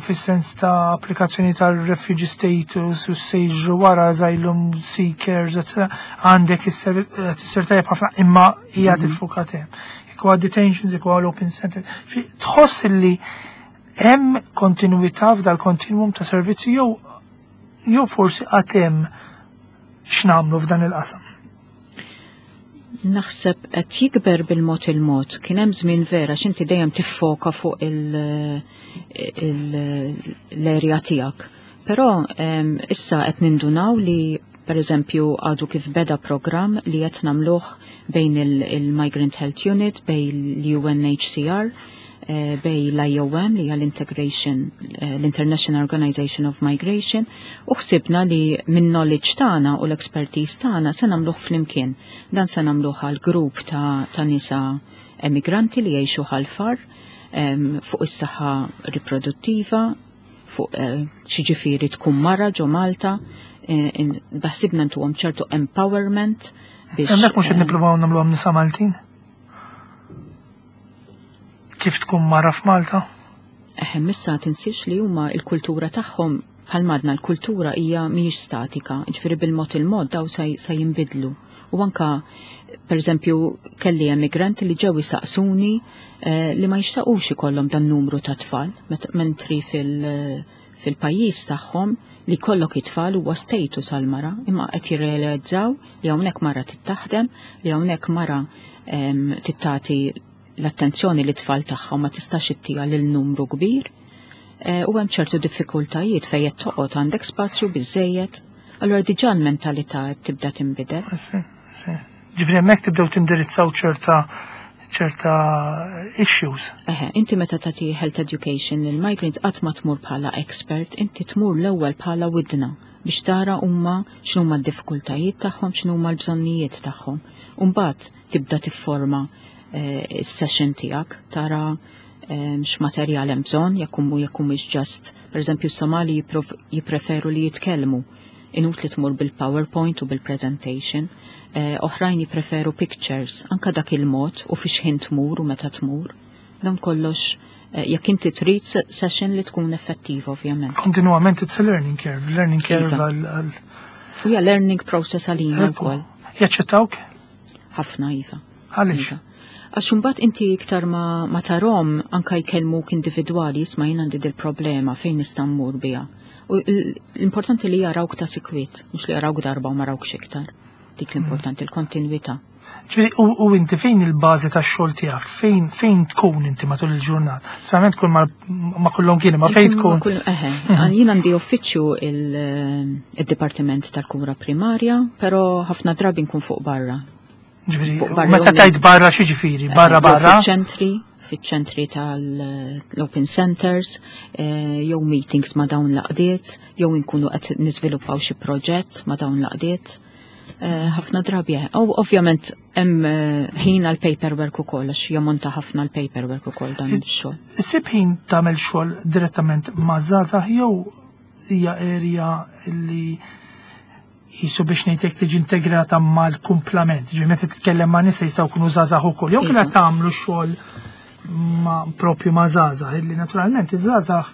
fis-sens ta' applikazzjoni tal-refugee status u sejġu wara asylum seekers, eccetera, għandek is-servizz tajjeb ħafna imma hija tiffukat hemm. Jekk huwa detentions, jekk huwa l-open center. Tħoss li hemm kontinuità f'dal kontinuum ta' servizzi jew forsi qatt hemm x'nagħmlu f'dan il-qasam? Naħseb qed jikber bil-mod il-mod. Kien hemm żmien vera x'inti dejjem tiffoka fuq l-area tiegħek. Però issa qed nindunaw li per eżempju għadu kif beda program li qed nagħmluh bejn il-Migrant Health Unit, bejn l-UNHCR, bejn l-IOM li hija l-International Organization of Migration, u ħsibna li minn knowledge tagħna u l-expertise tagħna se nagħmluh flimkien. Dan se nagħmluh għal grupp ta' nisa emigranti li jgħixu ħal-far fuq is-saħħa riproduttiva, fuq xi ġifieri tkun mara ġo Malta, baħsibna ntuhom ċertu empowerment biex, Hemmhekk mhux qed nippruvaw nagħmluhom nisa Maltin? Kif tkun mara f'Malta? Eħe, missa tinsiex li huma il-kultura tagħhom bħal madna l-kultura hija mhijiex statika, ġifieri bil-mod il-mod daw sa jinbidlu. U anka, per eżempju, kelli emigranti li ġew jisaqsuni li ma jixtaqux ikollhom dan numru ta' tfal, mentri fil-pajjiż tagħhom li kollok it-tfal huwa status għal-mara, imma qed jirrealizzaw li hawnhekk mara tittaħdem, li hawnhekk mara tittati l-attenzjoni li tfal tagħha ma tistax ittija lil numru kbir. U hemm ċertu diffikultajiet fejn qed toqgħod għandek spazju biżejjed. Allura diġà l-mentalità qed tibda tinbidel. Ġifieri hemmhekk tibdew tindirizzaw ċerta issues. Eħe, inti meta tagħti health education lil migrants qatt ma tmur bħala expert, inti tmur l-ewwel bħala widna biex tara huma x'numa d-diffikultajiet tagħhom, x'numa l-bżonnijiet tagħhom. U mbagħad tibda tifforma is-session tiegħek, tara x'materjal hemm bżonn, jekk humiex just, pereżempju s-Somali jippreferu li jitkellmu, inutli tmur bil-PowerPoint u bil-presentation, oħrajn jippreferu pictures, anka dak il-mod u fiex ħin tmur u meta tmur. Dan kollox jekk inti trid session li tkun effettiva, ovvjament. Kontinuament it's a learning curve, learning curve għal. U hija learning process għalina wkoll. Jaċċettawk? Ħafna, iva. Għaliex? Iva. Għax imbagħad inti iktar ma tarhom anka jkellmuk individwali, isma' jien għandi dil-problema, fejn nista' mmur biha. U l-importanti li jarawk ta' sikwit, mhux li jarawk darba u ma rawkx iktar. Dik l-importanti, l-kontinwità. Ġifieri, u inti fejn il-bażi tax-xogħol tiegħek, fejn tkun inti matul il-ġurnata? Solament tkun ma' kullhom kien, ma fejn tkun? Eħe, jien għandi uffiċċju il-Dipartiment tal-Kura Primarja, però ħafna drabi nkun fuq barra. Ġifieri, Fuq barra meta jew tajt barra xi ġifieri? Barra barra? Fiċ-ċentri tal-open centers, jew meetings ma' dawn l-għaqdiet, jew inkunu qed niżviluppaw xi proġett ma' dawn l-għaqdiet. Ħafna drabi, u ovvjament hemm ħin għal paperwork ukoll, għax jammonta ħafna l paperwork ukoll dan ix-xogħol. Issib ħin tagħmel xogħol direttament ma' żgħażagħ jew hija area li jisu biex ngħidlek tiġi integrata mal-kumplament, ġifieri meta titkellem ma' nisa jistgħu jkunu żgħażagħ ukoll, jew kien tagħmlu xogħol ma' propju ma' żgħażagħ, illi naturalment iż-żgħażagħ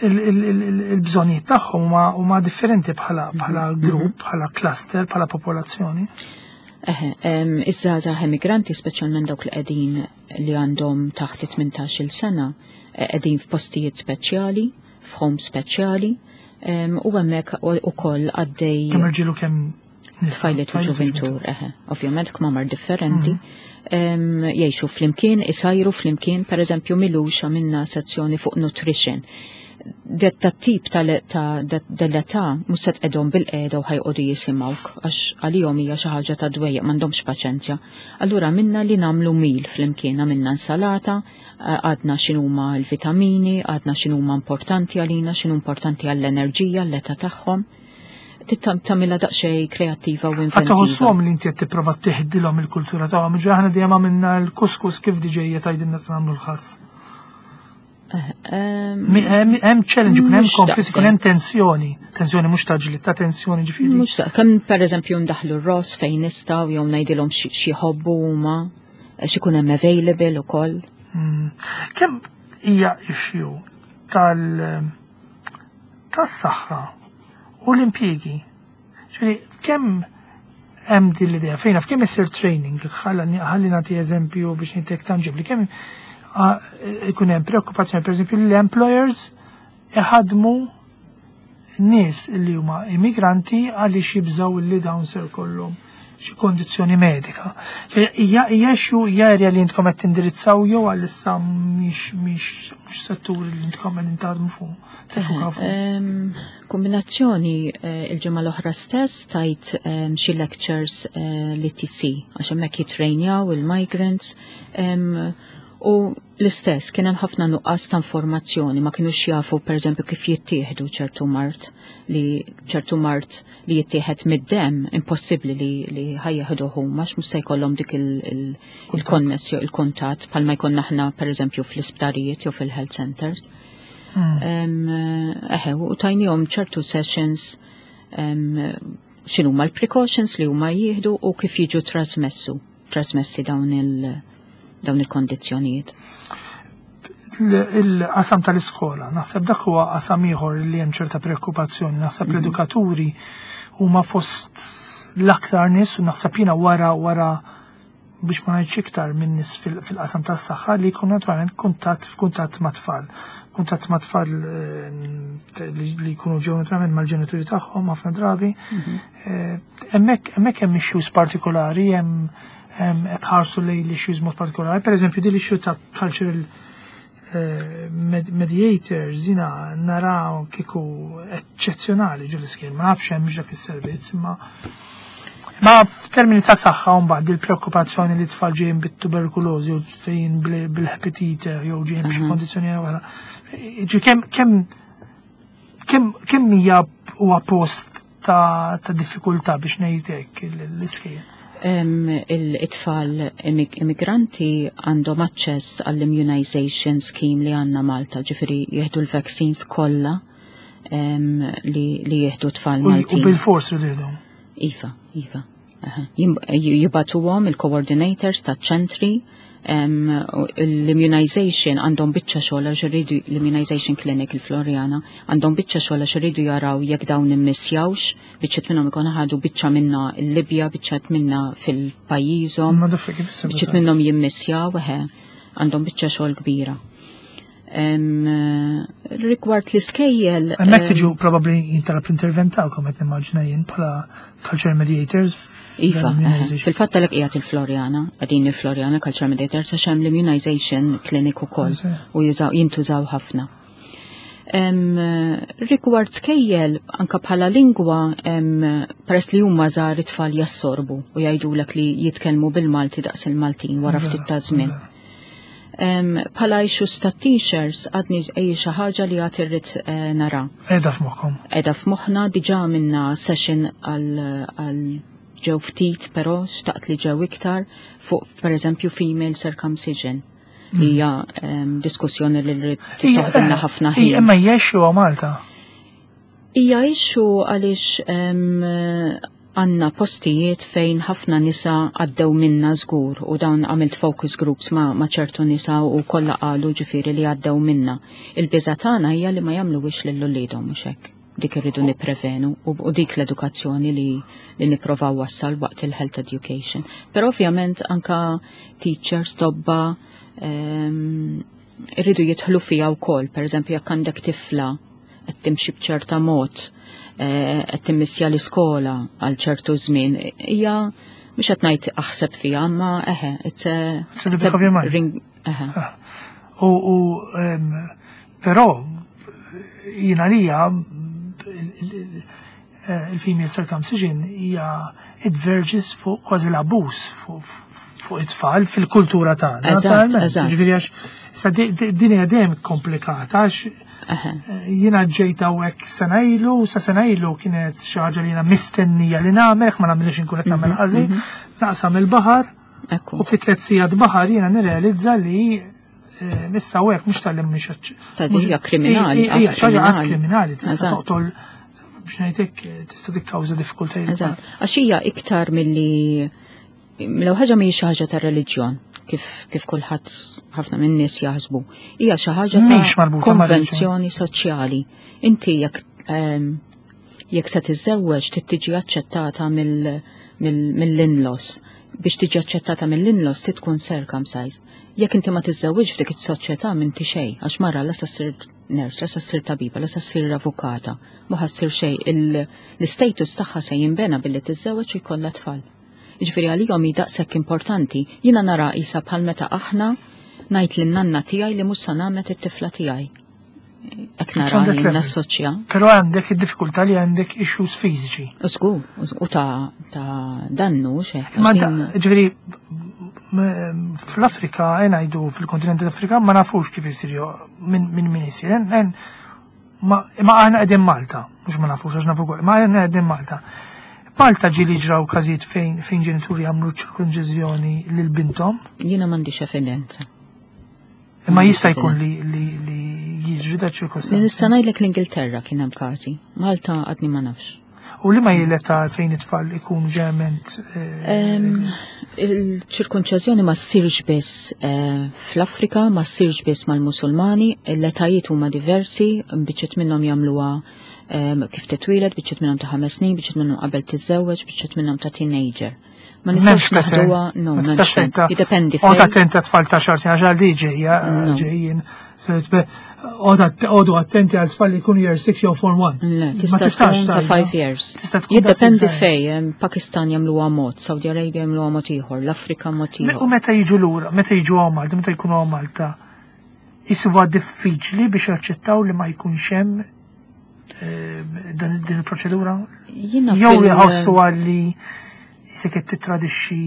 il-bżonnijiet tagħhom huma differenti bħala grupp, bħala cluster, bħala popolazzjoni. Eħe, iż-żgħażagħ emigranti, speċjalment dawk li qegħdin li għandhom taħt 18-il sena, qegħdin f'postijiet speċjali, f'home speċjali, u hemmhekk ukoll għaddej Kemm irġiel u kemm nisa? Tfajliet u Tfajliet u ġuventur, ġuventur. eħe, ovvjament kmamar differenti. Jgħixu flimkien, isajru flimkien, per eżempju m'ilux għamilna sezzjoni fuq nutrition. Detta tip ta' dell-età mhux se tqegħdhom bil-qiegħda u ħajqogħdu jisimgħuk, għax għalihom hija xi ħaġa ta' dwejjaq, m'għandhomx paċenzja. Allura minna li nagħmlu meal flimkien, għamilna insalata, għadna x'inhuma l-vitamini, għadna x'inhuma importanti għalina, x'inhu importanti għall-enerġija, l-età tagħhom. Tagħmilha daqsxejn kreattiva u Għad inventiva. toħossuhom li inti qed tipprova tiħdilhom il-kultura tagħhom, ġifieri aħna dejjem għamilna l-kuskus kif diġejja tgħidilna se nagħmlu l-ħass. Hemm challenge, ikun hemm Mhux konflitt, daqshekk. ikun hemm tensjoni, tensjoni mhux ta' ġlied, ta' tensjoni ġifieri. Mhux daq-, kemm pereżempju ndaħlu r-ross fejn nistgħu jew ngħidilhom xi jħobbu huma, x'ikun hemm available ukoll. Kemm hija issue tas-saħħa u l-impjiegi? Ġifieri kemm hemm din l-idea fejn naf kemm isir training, ħalli nagħti eżempju biex ngħidlek tanġibli, kemm ikun hemm preokkupazzjoni pereżempju li l-employers iħadmu nies li huma immigranti għaliex jibżgħu li dawn ser kollhom xi kondizzjoni medika. Hija xi hija area li intkom qed tindirizzaw jew għalissa mhix settur li intkom qed intaħdmu fuq, tifukaw fuq? Kombinazzjoni il-ġimgħa l-oħra stess tajt xi lectures l-ETC għax hemmhekk jitrejnjaw il-migrants, u l-istess kien hemm ħafna nuqqas ta' informazzjoni, ma kinux jafu pereżempju kif jittieħdu ċertu mard, li ċertu mard li jittieħed mid-dem impossibbli li ħajjeħdu huma għax mhux se jkollhom dik il-konnessju, il-kuntatt bħalma jkollna aħna pereżempju fl-isptarijiet jew fil-health centers. Eħe, u tajnihom ċertu sessions, x'inhuma l-precautions li huma jieħdu u kif jiġu trasmessi dawn il-kondizzjonijiet. Il-qasam tal-iskola, naħseb dak huwa qasam ieħor li hemm ċerta preokkupazzjoni, naħseb l-edukaturi huma fost l-aktar nies u naħseb jiena wara wara biex ma ngħidx iktar minn nies fil-qasam tas-saħħa li jkun naturalment kuntatt f'kuntatt ma' tfal. Kuntatt ma' tfal eh, li jkunu ġew naturalment mal-ġenituri tagħhom ħafna drabi. Mhm. Eh, hemmhekk hemmhekk hemm issues partikolari, hemm qed ħarsu lejn l-issues mod partikolari. Pereżempju din l-issue ta' cultural eh, mediators jina naraw kiku eccezzjonali ġo l-iskejjel, ma nafx hemm dak is-servizz, imma Ma f'termini ta' saħħa mbagħad il-preokkupazzjoni li tfal ġejjin bit-tuberkulożi u fejn bil-epatite jew ġejjin b'xi mhm. kondizzjoni oħra. Ġi kemm kemm kemm kemm hija huwa post ta', ta diffikultà biex ngħid hekk l-iskejjel. Il-tfal immigranti għandhom aċċess għall-immunization scheme li għandna Malta, ġifieri jieħdu l-vaccines kollha li, li jieħdu tfal Maltin. U bil-fors li jieħdu. Iva, iva. Jibatuhom il-coordinators ta' ċentri l-immunization għandhom biċċa xogħol għax iridu l-immunization clinic il-Floriana għandhom biċċa xogħol għax iridu jaraw jekk dawn immissjawx, biċċiet minnhom ikun ħadu biċċa minna l-Libja, biċċa minna fil-pajjiżhom. Biċċiet minnhom jimmissjaw, eħe, għandhom biċċa xogħol kbira. Rigward l-iskejjel. Hemmhekk tiġu probabbli jintalab l-intervent tagħkom qed nimmaġina jien bħala culture mediators. Iva, fil-fatt għalhekk qiegħed il-Floriana, qegħdin il-Floriana culture mediators għax hemm l-immunization clinic ukoll u jintużaw ħafna. Rigward skejjel, anka bħala lingwa, peress li huma żgħar it-tfal jassorbu u jgħidulek li jitkellmu bil-Malti daqs il-Maltin wara ftit ta' żmien. Bħala issues ta' teachers għadni ej xi ħaġa li għad irrid eh, nara. Edha f'moħħkom. Edha f'moħħna diġà minna session għal ġew ftit però xtaqt li ġew iktar fuq pereżempju female circumcision. Mm. Hija diskussjoni li rrid toħdilna ħafna ħin. Imma hija issue Malta. Hija issue għaliex għandna postijiet fejn ħafna nisa għaddew minna żgur u dawn għamilt focus groups ma, ma ċertu nisa u kollha qalu ġifieri li għaddew minna. Il-biża tagħna hija li ma jagħmluwix lil uliedhom mhux hekk. Dik irridu nipprevenu u, u dik l-edukazzjoni li, li nipprovaw wassal waqt il-health education. Però ovvjament anka teachers, tobba, irridu jidħlu fija wkoll, pereżempju jekk għandek tifla qed timxi b'ċerta mod, eh, qed timmissja l-iskola għal ċertu żmien, hija mhux qed ngħid aħseb fiha, ma eħe, it's a, it's a ring, eħe. Ah. U, u però jiena lija eh, il-female circumcision hija it verges fuq kważi l-abbuż fuq it-tfal fil-kultura tagħna. Eżatt, eżatt. Ġifieri għax sa din hija dejjem komplikata għax eh, jiena ġejt hawnhekk sena ilu, sa sena ilu kienet xi ħaġa li jiena mistennija li nagħmel, ma nagħmilx inkun qed nagħmel mhm, ħażin, mhm. naqsam il-baħar u fi tliet sigħat baħar jiena nirrealizza li eh, issa u hekk mhux tal-li mhux Ta' hija kriminali. Hija xi ħaġa kriminali tista' toqtol biex ngħidlek tista' tikkawża diffikultajiet. Eżatt. Għax hija iktar milli l ħaġa mhijiex xi ħaġa ta' reliġjon kif kif kulħadd ħafna minn nies jaħsbu. Hija xi ħaġa ta' konvenzjoni soċjali. Inti jekk ehm, jekk se tiżżewweġ trid tiġi aċċettata mill-in-laws. Biex tiġi aċċettata mill-in-laws trid tkun circumcised. Jekk inti ma tiżżewwiġ f'dik is-soċjetà m'inti xejn, għax mara la se ssir nurse, la se ssir tabiba, la se ssir avukata, ma ħa ssir xejn. L-istatus tagħha se jinbena billi tiżżewweġ u jkollha tfal. Jiġifieri għalihom hi daqshekk importanti. Jiena nara qisha bħal meta aħna ngħid lin-nanna tiegħi li mhux se nagħmed it-tifla tiegħi. Ek nara li nassoċja. Pero għandek id-diffikultà li għandek issues fiżiċi. Żgur, u ta' ta' dannu xe. Ma ġifieri fl-Afrika ngħidu fil-kontinent Afrika ma nafux kif isir minn min min isir. Ma aħna qegħdin Malta, mhux ma nafux għax nafu ma aħna qegħdin Malta. Malta ġieli ġraw każijiet fejn fejn ġenituri jagħmlu ċirkonċiżjoni lil binthom. Jiena m'għandix evidenza. Imma jista' jkun li li li jiġri da ċirkostanzi. Nista' ngħidlek l-Ingilterra kien hemm każi, Malta għadni ma nafx. U li ma jileta fejn it-tfal ikun ġement. Eh, Il-ċirkonċeżjoni ma ssirx biss eh, fl-Afrika, ma ssirx biss mal-Musulmani, l-etajiet huma diversi, biċċiet minnhom jagħmluha Kif titwieled, biċċiet minnhom ta' 5 snin, biċċiet minnhom qabel tiżżewweġ, biċċiet minnhom ta' teenager. Ma nistgħux naħduha, no, m'hemmx. Jiddependi. Oqgħod attenti tfal ta' xar snin għax għal ġejja ġejjin. Oqogħdu attenti għal tfal li jkunu year 6 jew form 1. Le, tista' tkun ta' 5 years. Jiddependi fej, Pakistan jagħmluha mod, Saudi Arabia jagħmluha mod ieħor, l-Afrika mod ieħor. U meta jiġu lura, meta jiġu għaw Malta, meta jkunu għaw Malta, jisibuha diffiċli biex jaċċettaw li ma jkunx hemm din il-proċedura? Jew jħossu għalli se qed titradixxi.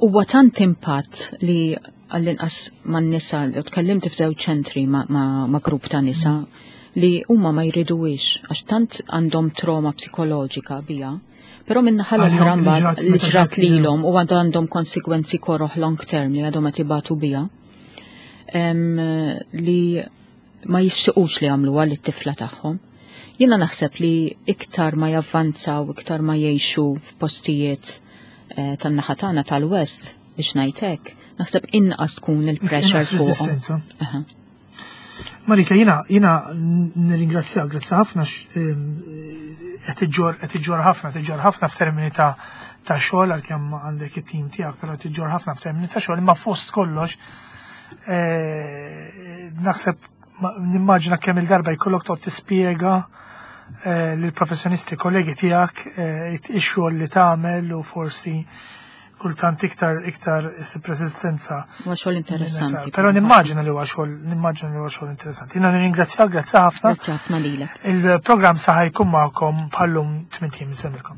Huwa tant impatt li għall-inqas man nisa, u tkellimt f'żewġ ċentri ma' grupp ta' nisa li huma ma jriduwix għax tant għandhom trauma psikoloġika bija. Però minna ħal oħra mbagħad li ġrat lilhom u għandhom konsekwenzi koroħ long term li għadhom qed ibatu bija. Li ma jixtiqux li jagħmluha lit-tifla tagħhom. Jiena naħseb li iktar ma javvanzaw, iktar ma jgħixu f'postijiet tan-naħa tagħna tal-West biex ngħidlek, naħseb inqas tkun il-pressure fuqhom. Marika, jina nirringrazzjak, grazzi ħafna qed iġġorr ħafna, tiġġorr ħafna f'termini ta' xogħol għalkemm għandek it-tim tiegħek, però tiġġorr ħafna f'termini ta' xogħol, imma fost kollox naħseb nimmaġina kemm il-darba jkollok toqgħod tispjega lill-professjonisti kollegi tiegħek ix-xogħol li tagħmel u forsi kultant iktar issib resistenza. Huwa xogħol interessanti. Però nimmaġina li huwa xogħol interessanti. Jiena nirringrazzjak, grazzi ħafna. Grazzi ħafna lilek. Il-programm saħ jkun magħkom bħallum 8 ijiem. Insellmilkom.